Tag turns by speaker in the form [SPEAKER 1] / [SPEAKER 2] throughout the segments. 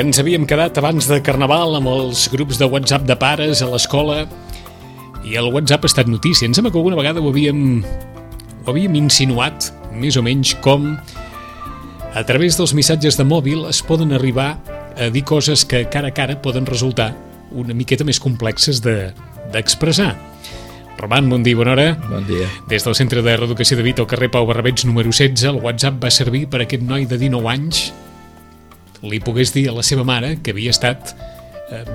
[SPEAKER 1] Ens havíem quedat abans de Carnaval amb els grups de WhatsApp de pares a l'escola i el WhatsApp ha estat notícia. Em sembla que alguna vegada ho havíem insinuat, més o menys, com a través dels missatges de mòbil es poden arribar a dir coses que cara a cara poden resultar una miqueta més complexes d'expressar. Roman, bon dia, bona hora.
[SPEAKER 2] Bon dia.
[SPEAKER 1] Des del Centre de Reeducació de Vic, al carrer Pau Barrabets, número 16, el WhatsApp va servir per a aquest noi de 19 anys li pogués dir a la seva mare que havia estat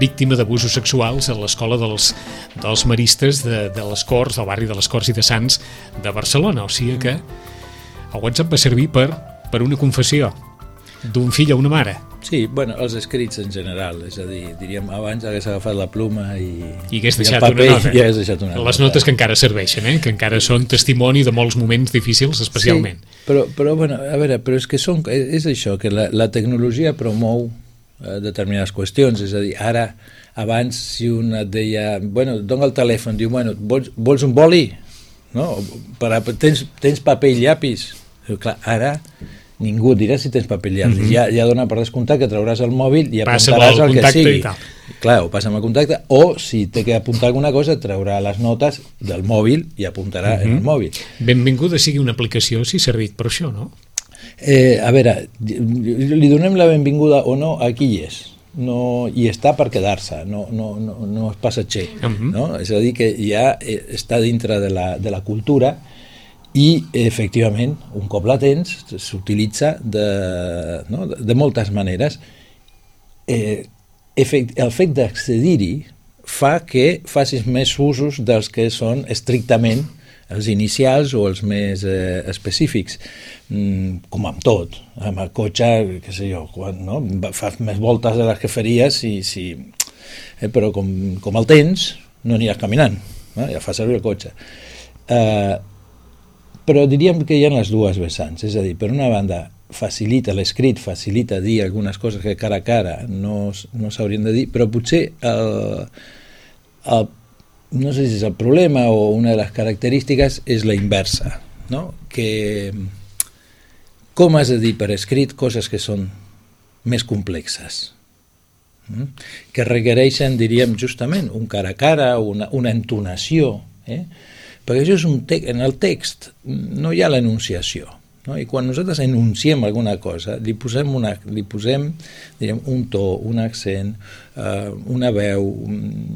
[SPEAKER 1] víctima d'abusos sexuals a l'escola dels maristes de les Corts, del barri de les Corts i de Sants de Barcelona. O sigui que el WhatsApp va servir per una confessió d'un fill a una mare.
[SPEAKER 2] Sí, bueno, els escrits en general, és a dir, diríem, abans hagués agafat la pluma i
[SPEAKER 1] hagués deixat
[SPEAKER 2] el paper
[SPEAKER 1] una nota.
[SPEAKER 2] I hagués deixat una nota.
[SPEAKER 1] Les notes que encara serveixen, que encara són testimoni de molts moments difícils, especialment.
[SPEAKER 2] Sí, però bueno, a veure, però és que és això, que la tecnologia promou determinades qüestions, és a dir, ara, abans, si un et deia, bueno, dona el telèfon, diu, bueno, vols un boli? No? Tens paper i llapis? Clar, ara ningú et dirà si tens paper i llapis. Ja dona per descomptat que trauràs el mòbil i apuntaràs el que sigui. Clar, ho passa amb el contacte, o si té que apuntar alguna cosa, traurà les notes del mòbil i apuntarà en el mòbil.
[SPEAKER 1] Benvinguda sigui una aplicació si ha servit per això, no?
[SPEAKER 2] A veure, li donem la benvinguda o no a qui hi és. No, i està per quedar-se, no és passatger, no? És a dir, que ja està dintre de la cultura i, efectivament, un cop la tens, s'utilitza de moltes maneres. El fet d'accedir-hi fa que facis més usos dels que són estrictament els inicials o els més específics, com amb tot. Amb el cotxe, què sé jo, fas més voltes de les que faries, però com el tens, no aniràs caminant, ja fas servir el cotxe. Però diríem que hi ha les dues vessants, és a dir, per una banda facilita l'escrit, facilita dir algunes coses que cara a cara no s'haurien de dir, però potser no sé si és el problema o una de les característiques és la inversa, no? Que com has de dir per escrit coses que són més complexes, que requereixen, diríem, justament un cara a cara, una entonació, perquè això és en el text no hi ha l'enunciació, no? I quan nosaltres enunciem alguna cosa li posem diríem, un to, un accent, una veu,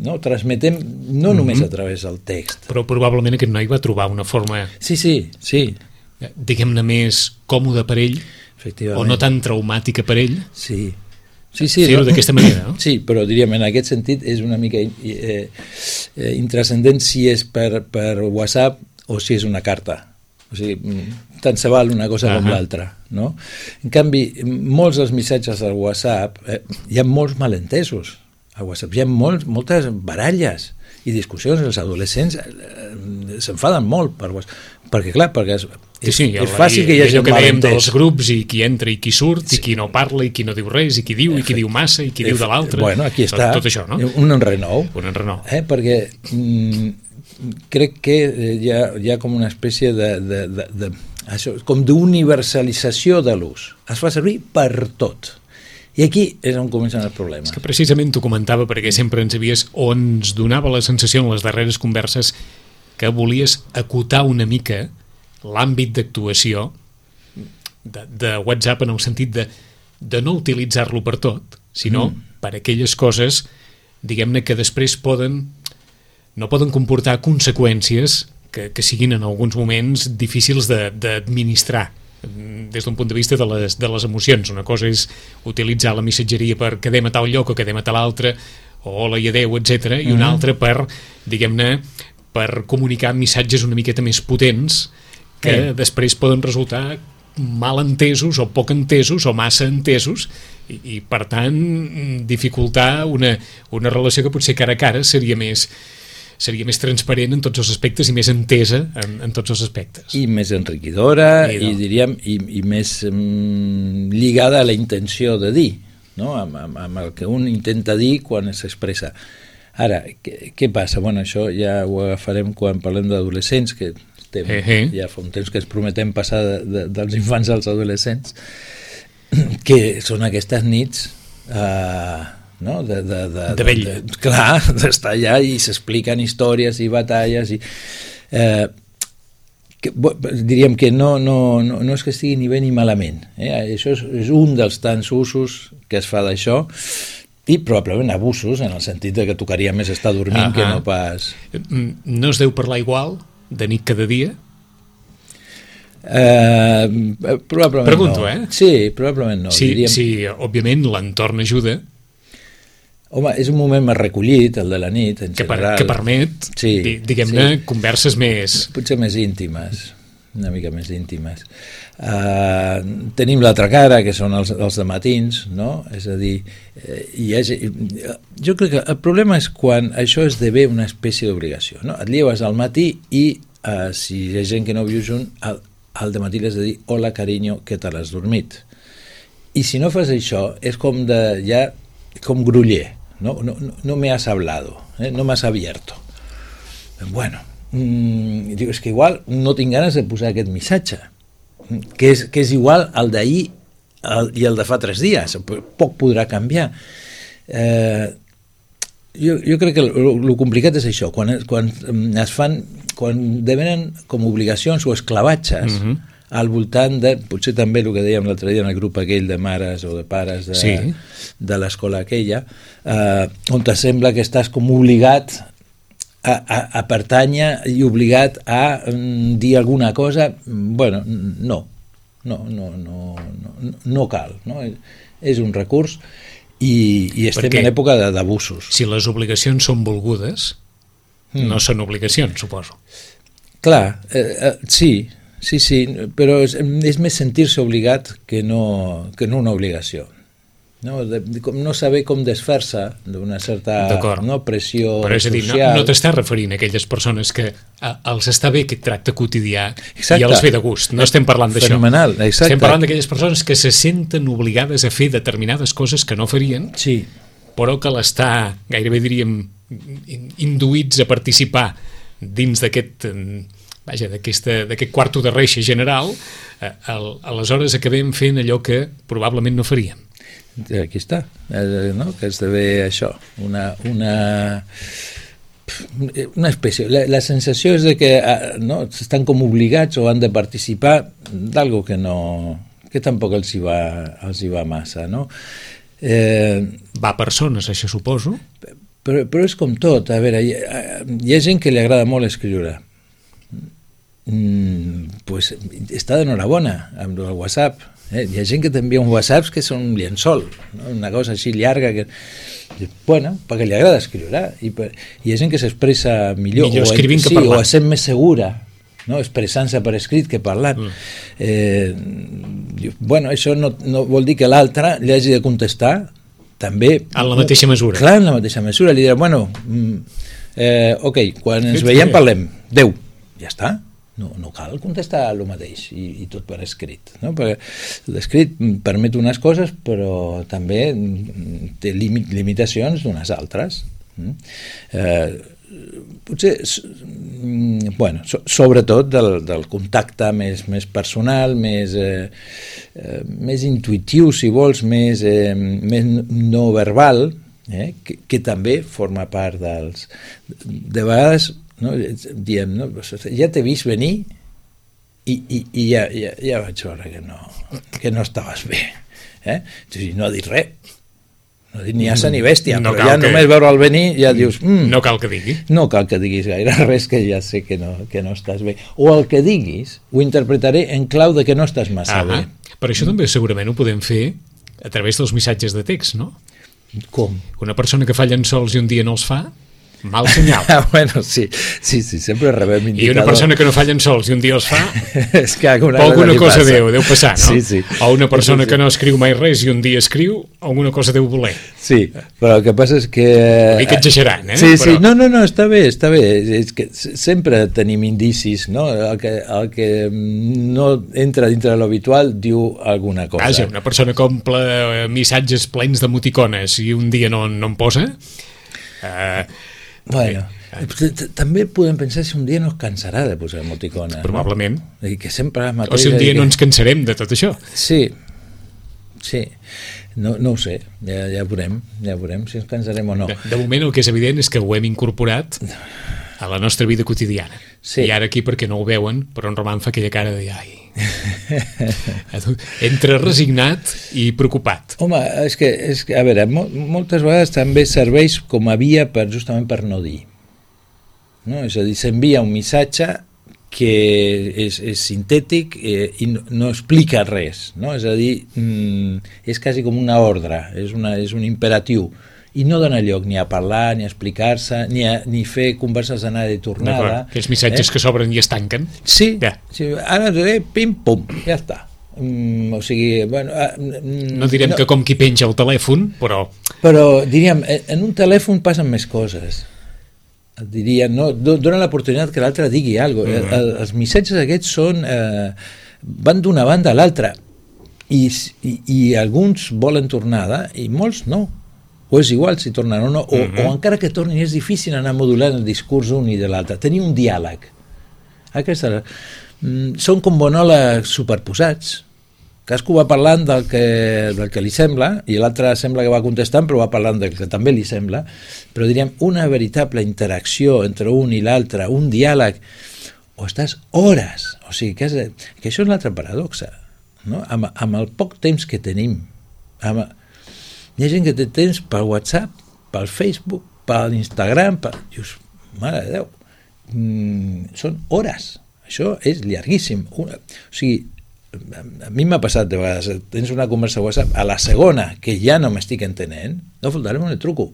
[SPEAKER 2] no? Transmetem no només a través del text.
[SPEAKER 1] Però probablement aquest noi va trobar una forma diguem-ne més còmoda per ell o no tan traumàtica per ell fer-ho d'aquesta manera, no?
[SPEAKER 2] Sí, però diríem, en aquest sentit és una mica intrascendent si és per WhatsApp o si és una carta. O sigui, tant se val una cosa com l'altra, no? En canvi, molts dels missatges al WhatsApp, hi ha molts malentesos al WhatsApp, hi ha moltes baralles i discussions. Els adolescents s'enfaden molt per WhatsApp, perquè clar, és fàcil que hi hagi
[SPEAKER 1] un malentès dels grups i qui entra i qui surt i qui no parla i qui no diu res i qui diu i qui diu massa i qui diu de l'altre.
[SPEAKER 2] Bueno, aquí està,
[SPEAKER 1] tot això, no?
[SPEAKER 2] Un enrenou. Perquè crec que hi ha com una espècie com d'universalització de l'ús. Es fa servir per tot. I aquí és on comencen els problemes.
[SPEAKER 1] És que precisament t'ho comentava perquè sempre ens donava la sensació en les darreres converses que volies acotar una mica l'àmbit d'actuació de WhatsApp en el sentit de no utilitzar-lo per tot, sinó per aquelles coses, diguem-ne, que després no poden comportar conseqüències que siguin en alguns moments difícils d'administrar des d'un punt de vista de les emocions. Una cosa és utilitzar la missatgeria per quedem a tal lloc o quedem a tal altre, o hola i adeu, etc. I una altra per, diguem-ne, per comunicar missatges una miqueta més potents que després poden resultar mal entesos o poc entesos o massa entesos i per tant dificultar una relació que potser cara a cara seria més transparent en tots els aspectes i més entesa en tots els aspectes.
[SPEAKER 2] I més enriquidora i diríem i més lligada a la intenció de dir, no? Amb el que un intenta dir quan s'expressa. Ara, què passa? Bueno, això ja ho agafarem quan parlem d'adolescents, que ja fa un temps que ens prometem passar dels infants als adolescents, que són aquestes nits no?
[SPEAKER 1] De vell.
[SPEAKER 2] Clar, d'estar allà i s'expliquen històries i batalles i... diríem que no és que estigui ni bé ni malament, això és un dels tants usos que es fa d'això, i probablement abusos en el sentit de que tocaria més estar dormint que no pas...
[SPEAKER 1] No es deu parlar igual de nit cada dia?
[SPEAKER 2] Probablement
[SPEAKER 1] Pregunto,
[SPEAKER 2] no. Sí, probablement no.
[SPEAKER 1] Sí, òbviament l'entorn ajuda.
[SPEAKER 2] Home, és un moment més recollit, el de la nit, en general.
[SPEAKER 1] Que permet, diguem-ne, converses més... Potser
[SPEAKER 2] més íntimes, una mica més íntimes. Tenim l'altra cara, que són els dematins, no? És a dir, jo crec que el problema és quan això esdevé una espècie d'obligació, no? Et lleves al matí i si hi ha gent que no viu junt, al dematí li has de dir hola, carinyo, què tal has dormit? I si no fas això, és com com gruller. No me has hablado, no me has abierto. Bueno, digo, és que igual no tinc ganes de posar aquest missatge, que és igual al d'ahir i el de fa 3 dies, poc podrà canviar. Jo crec que el complicat és això, quan devenen com obligacions o esclavatges al voltant de, potser també el que dèiem l'altre dia en el grup aquell de mares o de pares de l'escola aquella, on te sembla que estàs com obligat a pertànyer i obligat a dir alguna cosa. Bueno, no cal, no? És un recurs i estem en època d'abusos.
[SPEAKER 1] Si les obligacions són volgudes, no són obligacions, suposo.
[SPEAKER 2] Clar, sí, però és més sentir-se obligat que no una obligació. No saber com desfer-se d'una certa pressió social.
[SPEAKER 1] Però és a dir, no t'estàs referint a aquelles persones que els està bé aquest tracte quotidià i els ve de gust. No estem parlant d'això.
[SPEAKER 2] Fenomenal, exacte.
[SPEAKER 1] Estem parlant d'aquelles persones que se senten obligades a fer determinades coses que no farien, però que l'està, gairebé diríem, induïts a participar dins d'aquest quarto de reixa general, aleshores acabem fent allò que probablement no faríem.
[SPEAKER 2] Aquí està, no? Que esdevé això, una espècie. La sensació és de que estan com obligats o han de participar d'algo que tampoc els hi va massa, no?
[SPEAKER 1] Va a persones, això suposo.
[SPEAKER 2] Però és com tot. A veure, hi ha gent que li agrada molt escriure. Pues està d'enhorabona amb el WhatsApp. Hi ha gent que t'envia un WhatsApp que són un llençol, no? Una cosa així llarga que... Bueno, perquè li agrada escriure. I hi ha gent que s'expressa millor
[SPEAKER 1] escrivint que parlant.
[SPEAKER 2] O es sent més segura, no? Expressant-se per escrit que parlant. Bueno, això no vol dir que l'altre li hagi de contestar també...
[SPEAKER 1] En la mateixa mesura.
[SPEAKER 2] Clar, en la mateixa mesura. Li dirà, bueno, ok, quan ens veiem parlem. Adéu. Ja està. No cal contestar el mateix i tot per escrit, no? Perquè l'escrit permet unes coses però també té limitacions d'unes altres. Potser sobretot del contacte més personal, més intuitiu, si vols, més no verbal, que també forma part dels... De vegades diem, ja t'he vist venir i ja vaig veure que no estaves bé, no ha dit res, no ha dit ni asa ni bèstia, però ja només veure'l venir ja dius,
[SPEAKER 1] no cal que digui,
[SPEAKER 2] no cal que diguis gaire res, que ja sé que no estàs bé, o el que diguis ho interpretaré en clau de que no estàs massa bé.
[SPEAKER 1] Per això també segurament ho podem fer a través dels missatges de text, no?
[SPEAKER 2] Com?
[SPEAKER 1] Una persona que fa llençols i un dia no els fa, mal senyal.
[SPEAKER 2] Bueno, sí, sempre rebem indicador.
[SPEAKER 1] I una persona que no fa llençols i un dia els fa,
[SPEAKER 2] és que alguna
[SPEAKER 1] cosa deu passar, no?
[SPEAKER 2] Sí.
[SPEAKER 1] O una persona que no escriu mai res i un dia escriu, alguna cosa deu voler.
[SPEAKER 2] Sí, però el que passa és que...
[SPEAKER 1] Una mica exagerant,
[SPEAKER 2] Sí, no, està bé. És que sempre tenim indicis, no? El que no entra dintre de l'habitual diu alguna cosa.
[SPEAKER 1] Vaja, una persona que omple missatges plens d'emoticones i un dia no en posa...
[SPEAKER 2] Bueno, també podem pensar si un dia no es cansarà de posar emoticones.
[SPEAKER 1] Probablement.
[SPEAKER 2] No? Que sempre
[SPEAKER 1] o si un dia no ens cansarem de tot això.
[SPEAKER 2] Sí, Sí, no ho sé, ja veurem si ens cansarem o no.
[SPEAKER 1] De moment el que és evident és que ho hem incorporat a la nostra vida quotidiana. Sí. I ara aquí, perquè no ho veuen, però en Roman fa aquella cara de entre resignat i preocupat.
[SPEAKER 2] Home, és que a veure, moltes vegades també serveix com a via justament per no dir. No? És a dir, s'envia un missatge que és sintètic i no explica res, no? És a dir, és quasi com una ordre, és un imperatiu, i no dona lloc ni a parlar, ni a explicar-se, ni fer converses d'anada i tornada.
[SPEAKER 1] Aquells missatges que s'obren i es tanquen.
[SPEAKER 2] Sí, sí, ara pim, pum, ja està. O sigui, bueno,
[SPEAKER 1] no direm que com qui penja el telèfon, però
[SPEAKER 2] diríem, en un telèfon passen més coses. Diria, no, dona l'oportunitat que l'altre digui alguna cosa. Els missatges aquests van d'una banda a l'altra i alguns volen tornada i molts no, o és igual si tornen o no, o encara que tornin és difícil anar modulant el discurs un i de l'altre, tenir un diàleg. Són com monòlegs superposats, cadascú va parlant del que li sembla i l'altre sembla que va contestant però va parlant del que també li sembla, però diríem una veritable interacció entre un i l'altre, un diàleg, o estàs hores, o sigui que això és l'altra paradoxa, no? Amb el poc temps que tenim, hi ha gent que té temps per WhatsApp, per Facebook, per Instagram, dius, mare de Déu, són hores, això és llarguíssim, o sigui, a mi m'ha passat de vegades, tens una conversa a WhatsApp, a la segona que ja no m'estic entenent, no faltarem un truco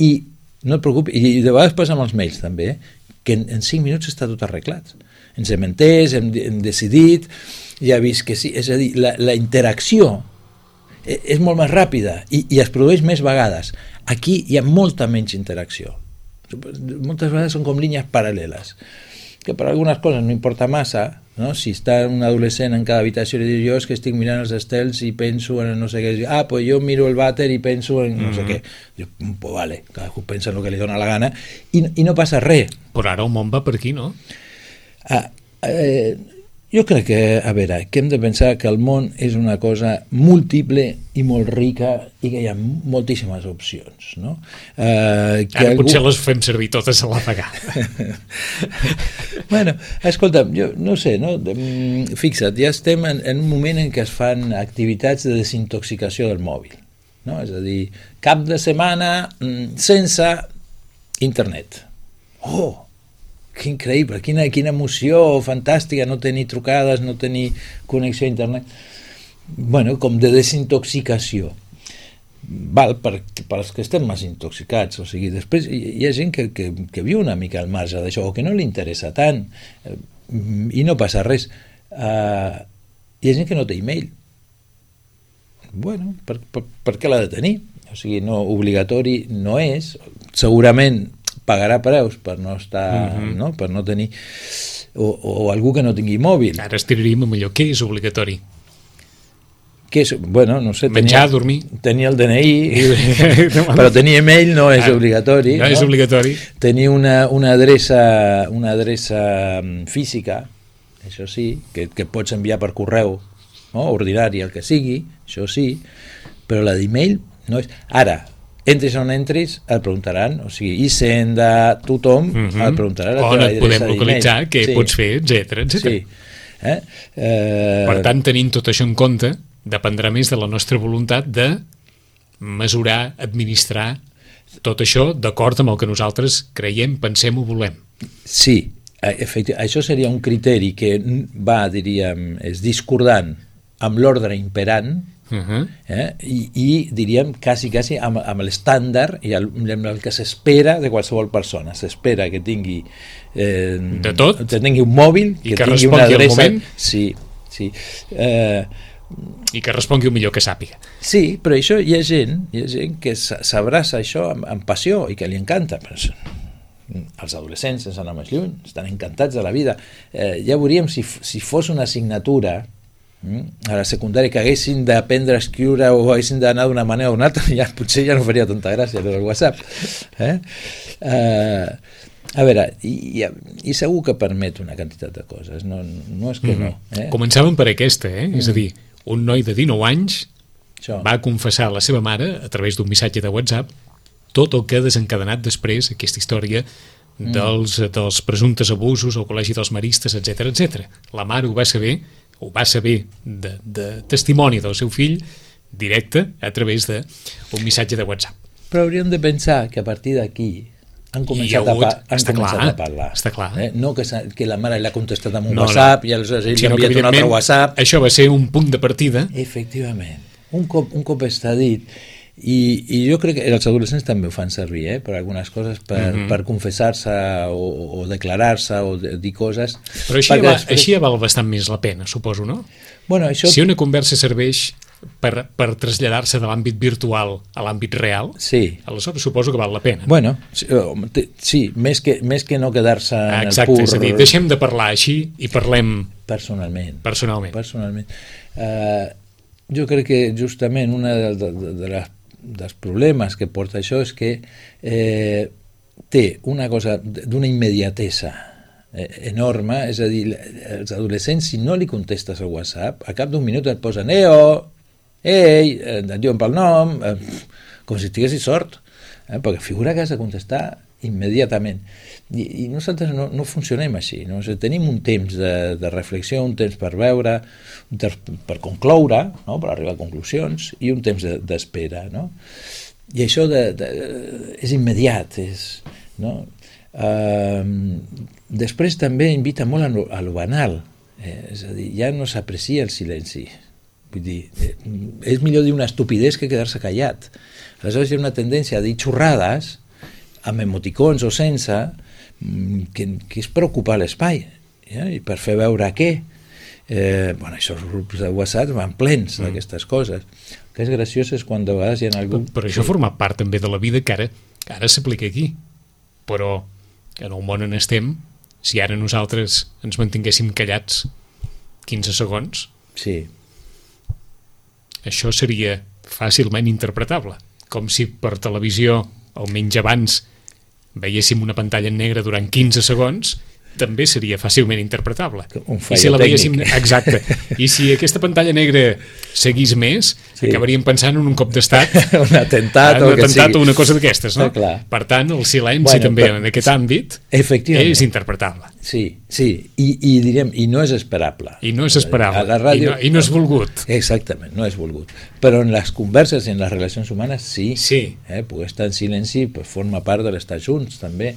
[SPEAKER 2] i no et preocupis, i de vegades passa amb els mails també, que en 5 minuts està tot arreglat, ens hem entès, hem decidit, ja he vist que sí, és a dir, la interacció és molt més ràpida i es produeix més vegades. Aquí hi ha molta menys interacció, moltes vegades són com línies paral·leles que per algunes coses no importa massa, no? Si està un adolescent en cada habitació i diu, jo és que estic mirant els estels i penso en no sé què, pues jo miro el vàter i penso en no sé què. Diu, pues vale, cadascú pensa en el que li dona la gana i no passa res.
[SPEAKER 1] Però ara el món va per aquí, no?
[SPEAKER 2] Jo crec que, a veure, que hem de pensar que el món és una cosa múltiple i molt rica i que hi ha moltíssimes opcions, no?
[SPEAKER 1] Ara potser les fem servir totes a la vegada.
[SPEAKER 2] Bueno, escolta, jo no sé, no? Fixa't, ja estem en un moment en què es fan activitats de desintoxicació del mòbil, no? És a dir, cap de setmana sense internet. Oh! Que increïble, quina emoció fantàstica no tenir trucades, no tenir connexió a internet. Bueno, com de desintoxicació. Val, per als que estem més intoxicats, o sigui, després hi ha gent que viu una mica al marge d'això, o que no li interessa tant, i no passa res. Hi ha gent que no té e-mail. Bueno, per què l'ha de tenir? O sigui, no, obligatori no és, segurament pagarà preus per no estar, no? Per no tenir o algú que no tingui mòbil.
[SPEAKER 1] Ara estiraríem amb allò, què és obligatori?
[SPEAKER 2] Què és? Bueno, no sé,
[SPEAKER 1] menjar, dormir,
[SPEAKER 2] tenir el DNI però tenir e-mail no és obligatori,
[SPEAKER 1] no és obligatori.
[SPEAKER 2] Tenir una adreça física, això sí, que pots enviar per correu, no? Ordinari, el que sigui, això sí, però la d'e-mail no és. Ara, entris on entris, et preguntaran, o sigui, Hisenda, tothom, et preguntaran
[SPEAKER 1] on et podem localitzar, què pots fer, etcètera.
[SPEAKER 2] Sí.
[SPEAKER 1] Per tant, tenint tot això en compte, dependrà més de la nostra voluntat de mesurar, administrar tot això d'acord amb el que nosaltres creiem, pensem o volem.
[SPEAKER 2] Sí, efectivament, això seria un criteri que va, diríem, és discordant amb l'ordre imperant, i diríem quasi amb l'estàndard i amb el que s'espera de qualsevol persona. S'espera que tingui
[SPEAKER 1] de tot,
[SPEAKER 2] que tingui un mòbil,
[SPEAKER 1] i que respongui al moment,
[SPEAKER 2] sí.
[SPEAKER 1] I que respongui el millor que sàpiga.
[SPEAKER 2] Sí, però això hi ha gent que s'abraça això amb passió i que li encanta. Els adolescents, sense anar més lluny, estan encantats de la vida. Ja veuríem si fos una assignatura a la secundària que haguessin d'aprendre a escriure o haguessin d'anar d'una manera o una altra, potser ja no faria tanta gràcia el WhatsApp. A veure, i segur que permet una quantitat de coses, no és que no.
[SPEAKER 1] Començàvem per aquesta, és a dir, un noi de 19 anys
[SPEAKER 2] Això.
[SPEAKER 1] va confessar a la seva mare, a través d'un missatge de WhatsApp, tot el que ha desencadenat després aquesta història dels presumptes abusos al Col·legi dels Maristes, etc etc. La mare ho va saber de testimoni del seu fill directe a través d'un missatge de WhatsApp.
[SPEAKER 2] Però hauríem de pensar que a partir d'aquí han començat a parlar.
[SPEAKER 1] Està clar.
[SPEAKER 2] No que la mare l'ha contestat amb un WhatsApp i aleshores ell ha enviat un altre WhatsApp.
[SPEAKER 1] Això va ser un punt de partida.
[SPEAKER 2] Efectivament. Un cop està dit. I jo crec que els adolescents també ho fan servir, per algunes coses, per confessar-se o declarar-se o dir coses.
[SPEAKER 1] Però així ja val bastant més la pena, suposo, no?
[SPEAKER 2] Bueno, això...
[SPEAKER 1] Si una conversa serveix per traslladar-se de l'àmbit virtual a l'àmbit real,
[SPEAKER 2] sí.
[SPEAKER 1] Aleshores suposo que val la pena.
[SPEAKER 2] Bueno, sí, més que no quedar-se en el
[SPEAKER 1] pur... És a dir, deixem de parlar així i parlem... Personalment.
[SPEAKER 2] Jo crec que justament una dels problemes que porta això és que té una cosa d'una immediatesa enorme, és a dir, els adolescents, si no li contestes al WhatsApp, a cap d'un minut et posen ei, et diuen pel nom, com si estiguessis sort, perquè figura que has de contestar immediatament. I nosaltres no funcionem així, no? O sigui, tenim un temps de reflexió, un temps per veure, un temps per concloure, no? Per arribar a conclusions, i un temps d'espera, no? I això és immediat, no? Després també invita molt a lo banal, és a dir, ja no s'aprecia el silenci. Vull dir, és millor dir una estupidesa que quedar-se callat. Aleshores hi ha una tendència a dir xorrades amb emoticons o sense, que és preocupar l'espai, i per fer veure què. Això els grups de WhatsApp van plens d'aquestes coses. El que és graciós és quan de vegades hi ha algú...
[SPEAKER 1] Però això forma part també de la vida que ara s'aplica aquí. Però en el món on estem, si ara nosaltres ens mantinguéssim callats 15 segons,
[SPEAKER 2] sí.
[SPEAKER 1] Això seria fàcilment interpretable. Com si per televisió, almenys abans, veiéssim una pantalla en negre durant 15 segons, també seria fàcilment interpretable.
[SPEAKER 2] Un fallo tècnic.
[SPEAKER 1] Exacte. I si aquesta pantalla negra seguís més, acabaríem pensant en un cop d'estat,
[SPEAKER 2] un atemptat o
[SPEAKER 1] una cosa d'aquestes, no? Per tant, el silenci també en aquest àmbit és interpretable.
[SPEAKER 2] Sí, i direm, i no és esperable.
[SPEAKER 1] I no és esperable,
[SPEAKER 2] a la ràdio,
[SPEAKER 1] i no és volgut.
[SPEAKER 2] Exactament, no és volgut. Però en les converses i en les relacions humanes sí. Poder estar en silenci forma part de l'estar junts, també.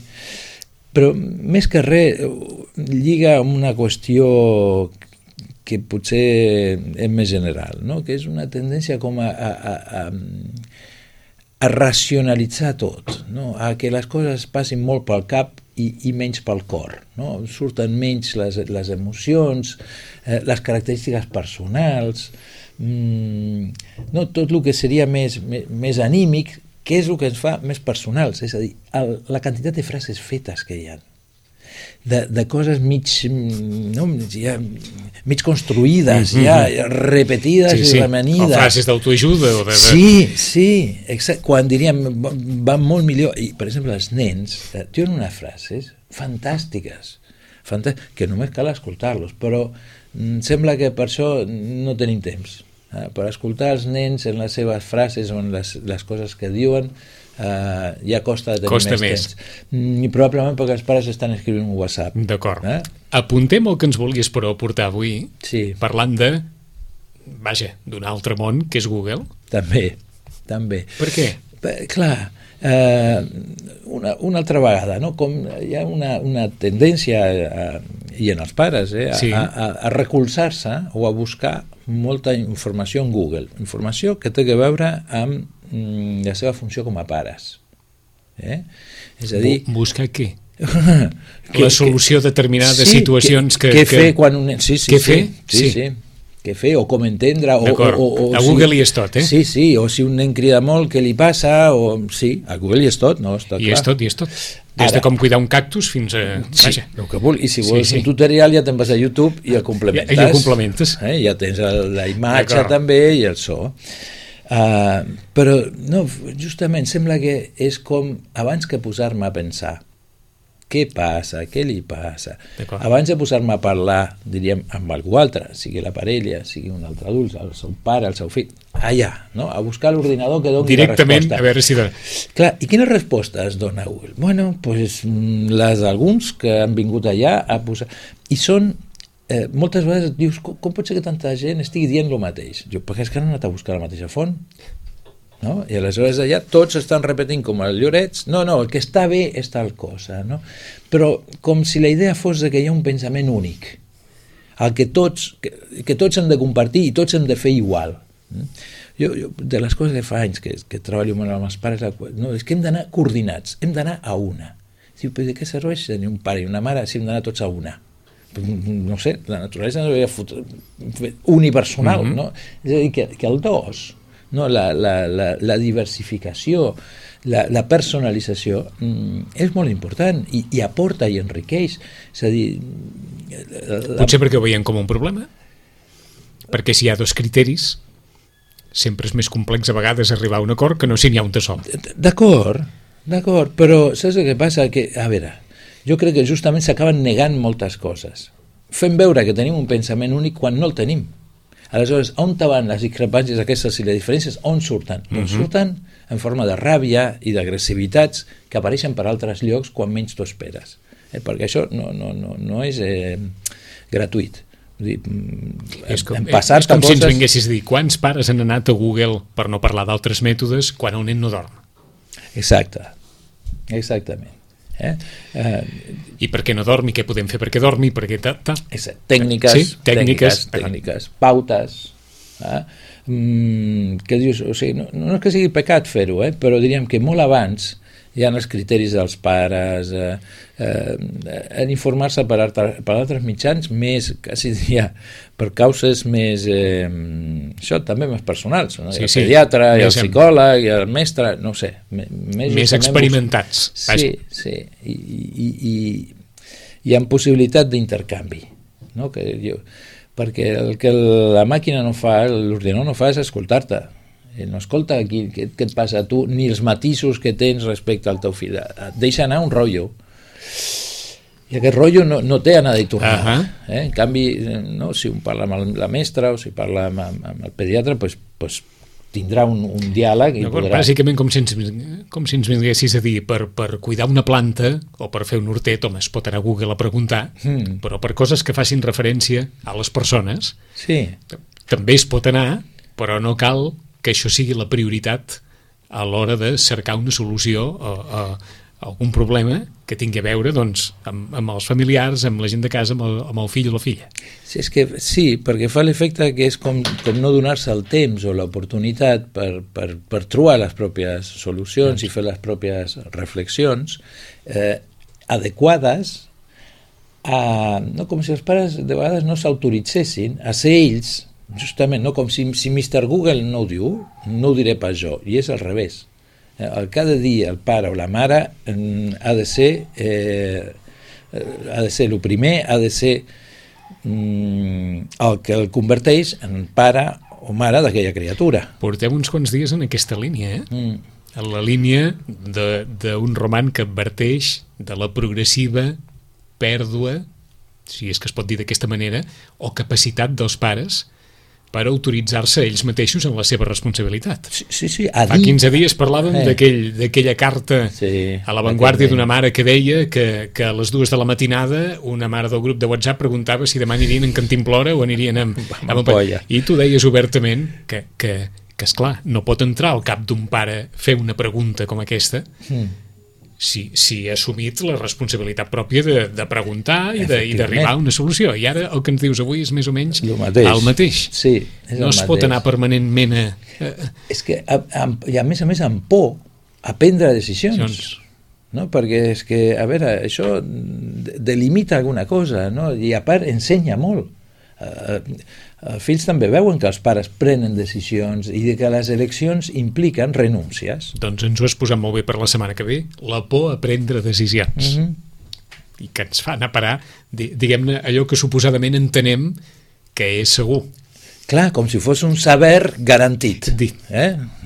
[SPEAKER 2] Però més que res lliga amb una qüestió que potser és més general, no? Que és una tendència com a racionalitzar tot, no? A que les coses passin molt pel cap i menys pel cor, no? Surten menys les emocions, les característiques personals, no? Tot el que seria més anímic, què és el que ens fa més personals, és a dir, la quantitat de frases fetes que hi ha, de coses mig construïdes, repetides i remanides.
[SPEAKER 1] O frases d'autoajuda.
[SPEAKER 2] Sí, exacte. Quan diríem, van molt millor. I, per exemple, els nens tenen unes frases fantàstiques, que només cal escoltar-los, però sembla que per això no tenim temps. Per escoltar els nens en les seves frases o en les coses que diuen ja costa de tenir més temps. I probablement perquè els pares estan escrivint un WhatsApp.
[SPEAKER 1] D'acord. Apuntem el que ens volies però portar avui, parlant d'un altre món que és Google.
[SPEAKER 2] També.
[SPEAKER 1] Per què?
[SPEAKER 2] Clar, una altra vegada, no? Com hi ha una tendència i en els pares a recolzar-se o a buscar molta informació en Google, informació que té a veure amb la seva funció com a pares. És a dir...
[SPEAKER 1] Buscar què? La solució de determinades situacions que...
[SPEAKER 2] Què fer quan un nen...
[SPEAKER 1] Què fer?
[SPEAKER 2] Sí. Què fer o com entendre...
[SPEAKER 1] A Google hi és tot,
[SPEAKER 2] Sí, o si un nen crida molt, què li passa? Sí, a Google hi és tot, no? Està clar.
[SPEAKER 1] Hi és tot. Des de com cuidar un cactus fins a...
[SPEAKER 2] Sí, el que vulgui. I si vols un tutorial ja te'n vas a YouTube i el complementes.
[SPEAKER 1] I el complementes.
[SPEAKER 2] Ja tens la imatge també i el so. Però no, justament sembla que és com abans que posar-me a pensar què passa, què li passa. Abans de posar-me a parlar, diríem, amb algú altre, sigui la parella, sigui un altre adult, el seu pare, el seu fill, allà, no? A buscar l'ordinador que doni la resposta.
[SPEAKER 1] Directament, a veure si dona.
[SPEAKER 2] Clar, i quines respostes dona Google? Bueno, pues, les d'alguns que han vingut allà a posar... I són... moltes vegades dius, com pot ser que tanta gent estigui dient el mateix? Jo, perquè és que han anat a buscar la mateixa font, no? I aleshores allà tots estan repetint com els llorets, no, el que està bé és tal cosa, no? Però com si la idea fos que hi ha un pensament únic, el que tots hem de compartir i tots hem de fer igual. Jo de les coses que fa anys que treballo amb els pares, no, és que hem d'anar coordinats, hem d'anar a una. Diu, però de què serveix tenir un pare i una mare si hem d'anar tots a una? No sé, la naturalesa no havia unipersonal, no? És a dir, que el dos, no? la diversificació, la personalització és molt important i aporta i enriqueix. És a dir...
[SPEAKER 1] Potser perquè ho veiem com un problema? Perquè si hi ha dos criteris sempre és més complex a vegades arribar a un acord que no si n'hi ha un de sol. D'acord,
[SPEAKER 2] però saps el que passa? Que, a veure, jo crec que justament s'acaben negant moltes coses. Fem veure que tenim un pensament únic quan no el tenim. Aleshores, on van les discrepàncies aquestes i les diferències? On surten? Doncs surten en forma de ràbia i d'agressivitats que apareixen per altres llocs quan menys t'ho esperes. Perquè això no és gratuït.
[SPEAKER 1] És com si ens vinguessis a dir quants pares han anat a Google per no parlar d'altres mètodes quan un nen no dorm.
[SPEAKER 2] Exactament.
[SPEAKER 1] I per què no dormi, què podem fer perquè dormi, perquè
[SPEAKER 2] tècniques, pautes, que dius, o sigui, no és que sigui pecat fer-ho, però diríem que molt abans hi ha els criteris dels pares, en informar-se per altres mitjans més, quasi diria, per causes més, això també més personals, no? El pediatre, i el psicòleg, i el mestre, no ho sé.
[SPEAKER 1] Més experimentats.
[SPEAKER 2] Sí, i amb possibilitat d'intercanvi, no? Perquè el que la màquina no fa, l'ordinador no fa és escoltar-te. No escolta què et passa a tu, ni els matisos que tens respecte al teu fill. Et deixa anar un rotllo. I aquest rotllo no té anada i tornada. En canvi, no, si un parla amb la mestra o si parla amb el pediatre, pues tindrà un diàleg i podrà...
[SPEAKER 1] Bàsicament com si ens vinguessis a dir per cuidar una planta o per fer un hortet, home, es pot anar a Google a preguntar, però per coses que facin referència a les persones també es pot anar, però no cal que això sigui la prioritat a l'hora de cercar una solució a algun problema que tingui a veure doncs, amb els familiars, amb la gent de casa, amb el fill o la filla.
[SPEAKER 2] Sí, perquè fa l'efecte que és com no donar-se el temps o l'oportunitat per trobar les pròpies solucions i fer les pròpies reflexions adequades com si els pares de vegades no s'autoritzessin a ser ells, justament, no? Com si Mr. Google no ho diu, no ho diré pas jo, i és al revés. El que ha de dir el pare o la mare ha de ser el primer, ha de ser el que el converteix en pare o mare d'aquella criatura.
[SPEAKER 1] Portem uns quants dies en aquesta línia, en la línia d'un roman que adverteix de la progressiva pèrdua, si és que es pot dir d'aquesta manera, o capacitat dels pares per autoritzar-se ells mateixos en la seva responsabilitat.
[SPEAKER 2] Sí.
[SPEAKER 1] Fa 15 dies parlàvem d'aquella carta a l'avantguàrdia d'una mare que deia que a les 2 de la matinada una mare del grup de WhatsApp preguntava si demà anirien en Cantimplora o anirien amb
[SPEAKER 2] polla.
[SPEAKER 1] I tu deies obertament que esclar, no pot entrar al cap d'un pare fer una pregunta com aquesta si ha assumit la responsabilitat pròpia de preguntar i d'arribar a una solució. I ara el que ens dius avui és més o menys el mateix.
[SPEAKER 2] Sí,
[SPEAKER 1] no es pot anar permanentment
[SPEAKER 2] És que, i a més amb por, a prendre decisions. No? Perquè és que, a veure, això delimita alguna cosa, no? I a part ensenya molt. Els fills també veuen que els pares prenen decisions i que les eleccions impliquen renúncies.
[SPEAKER 1] Doncs ens ho has posat molt bé per la setmana que ve, la por a prendre decisions. I que ens fa anar a parar, diguem-ne, allò que suposadament entenem que és segur.
[SPEAKER 2] Clar, com si fos un saber garantit.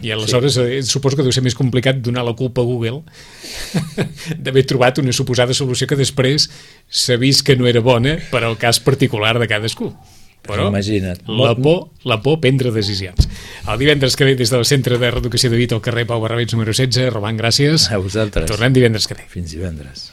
[SPEAKER 1] I aleshores suposo que deu ser més complicat donar la culpa a Google d'haver trobat una suposada solució que després s'ha vist que no era bona per al cas particular de cadascú. Però
[SPEAKER 2] imagina't.
[SPEAKER 1] La por prendre decisions. El divendres que ve des del Centre de Reeducació de Vic al carrer Pau Barrabets número 16. Roman, gràcies.
[SPEAKER 2] A vosaltres.
[SPEAKER 1] Tornem divendres que ve.
[SPEAKER 2] Fins divendres.